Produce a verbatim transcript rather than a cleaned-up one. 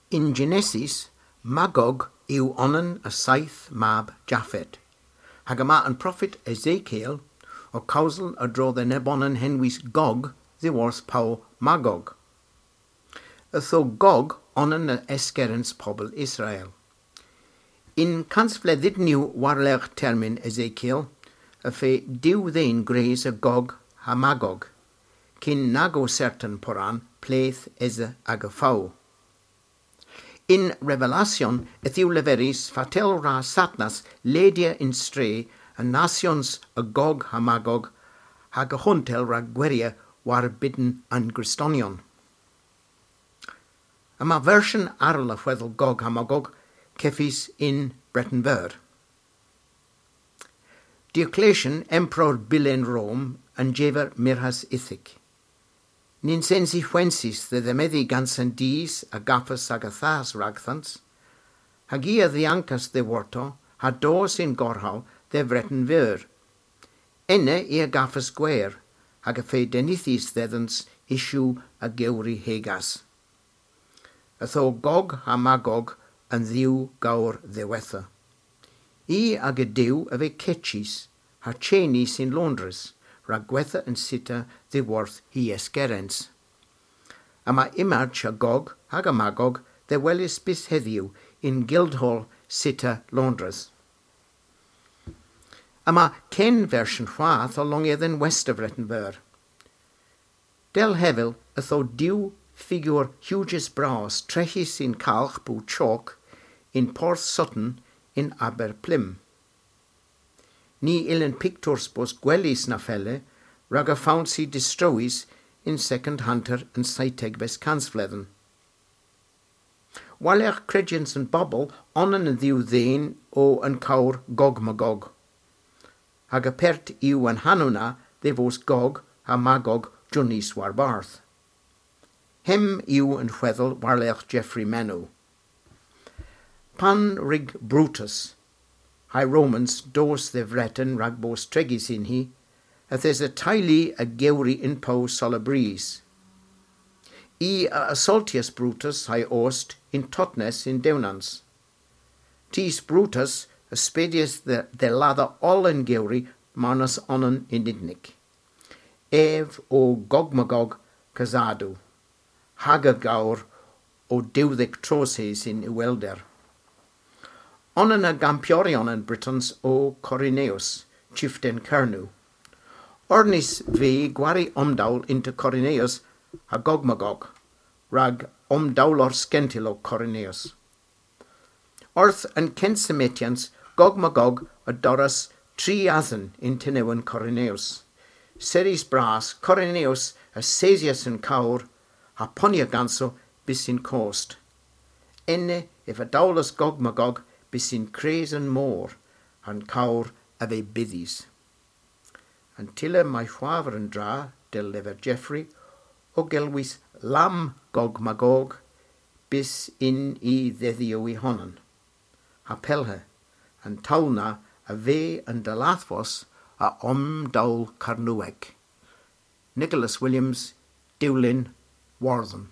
Yn Genesis, Magog yw onan a seyth mab Japhet, hag yma an profet Ezekiel ow kewsel a-dro dhe nebonan henwys Gog dhyworth pow Magog. Ytho Gog onan a eskerens pobel Israel. Yn kansvledhynyow war-lergh termyn Ezekiel, y feu diw dhen gwrys a Gog ha Magog, kyn nag o sertan poran ple'th esa aga fow. Yn Revelasyon yth yw leverys fatel wra Satnas ledya yn stre an nasyons a Gog ha Magog, hag y huntel rag gwerrya war bydn an Gristonion. Yma versyon arall a hwedhel Gog ha Magog kevys yn Breten Veur. Diocletian, emperor bylyn Rom, a'n jever myrghas ithik. Nyns ens i hwensi dhe dhemedhi gans an dus a gavas aga thas ragdhans, hag i a dhyankas dhyworto ha dos yn gorhal dhe Vreten Veur. Ena i a gavas gwer, hag y feu dennythys dhedhans yw a gewri hegas. Ytho Gog ha Magog an dhew gowr dhiwettha. I aga dew a veu kechys ha chenys yn Loundres, rag gwetha an sita dhyworth hy eskerens. Yma imaj a Gog hag a Magog dhe weles bys hedhyw yn Guildhall Sita Loundres. Yma ken versyon hwath ow longya dhe'n west a Vreten Veur. Dell hevel ytho diw figur hujes bras treghys yn kalgh po chok yn Porth Sutton yn Aber Plym. Ny yllyn piktours bos gwelys na felle, rag y feuns i distrowys yn Secondhunter an seytegves kansvledhen. War-lergh kredyans an bobel, onan an dhew dhen o an kowr Gog Magog. Hag apert yw an hanow na dhe vos Gog ha Magog jynnys warbarth. Hemm yw an hwedhel war-lergh Geoffrey Manow. Pan wrug Brutus ha'y Romans dos dhe Vreten rag bos tregys yn hi, yth esa teylu a gewri yn pow seulabrys. I a asoltyas Brutus ha'y ost yn Totnes yn Dewnans. Tus Brutus a spedyas dhe, dhe ladha oll an gewri marnas onan yn unnik. Ev o Gog Magog Cazadou, hag aga gowr o dewdhek troos-hys yn iwhelder. Onan a gampyoryon an Britons o Korineus, chiften Kernow. Ornys veu gwari omdowl ynter Korineus ha Gog Magog, rag omdowler skentyl o Korineus. Orth an kynsa metyans, Gog Magog a dorras tri adhen yn tenewyn Korineus. Serrys bras, Korineus a sesyas an kowr ha ponya ganso bys yn kost. Ena ev a dowlas Gog Magog bys yn kres an mor, ha'n kowr a veu bydhys. An tyller may hwav a dra, dell lever Geoffrey, o gelwys Lamm Gog Magog, bys yn y dhedhyow y honan. Ha pellhe, an towl na a veu an dalathvos a omdowl Kernewek. Nicholas Williams, Dewlin, Wordhen.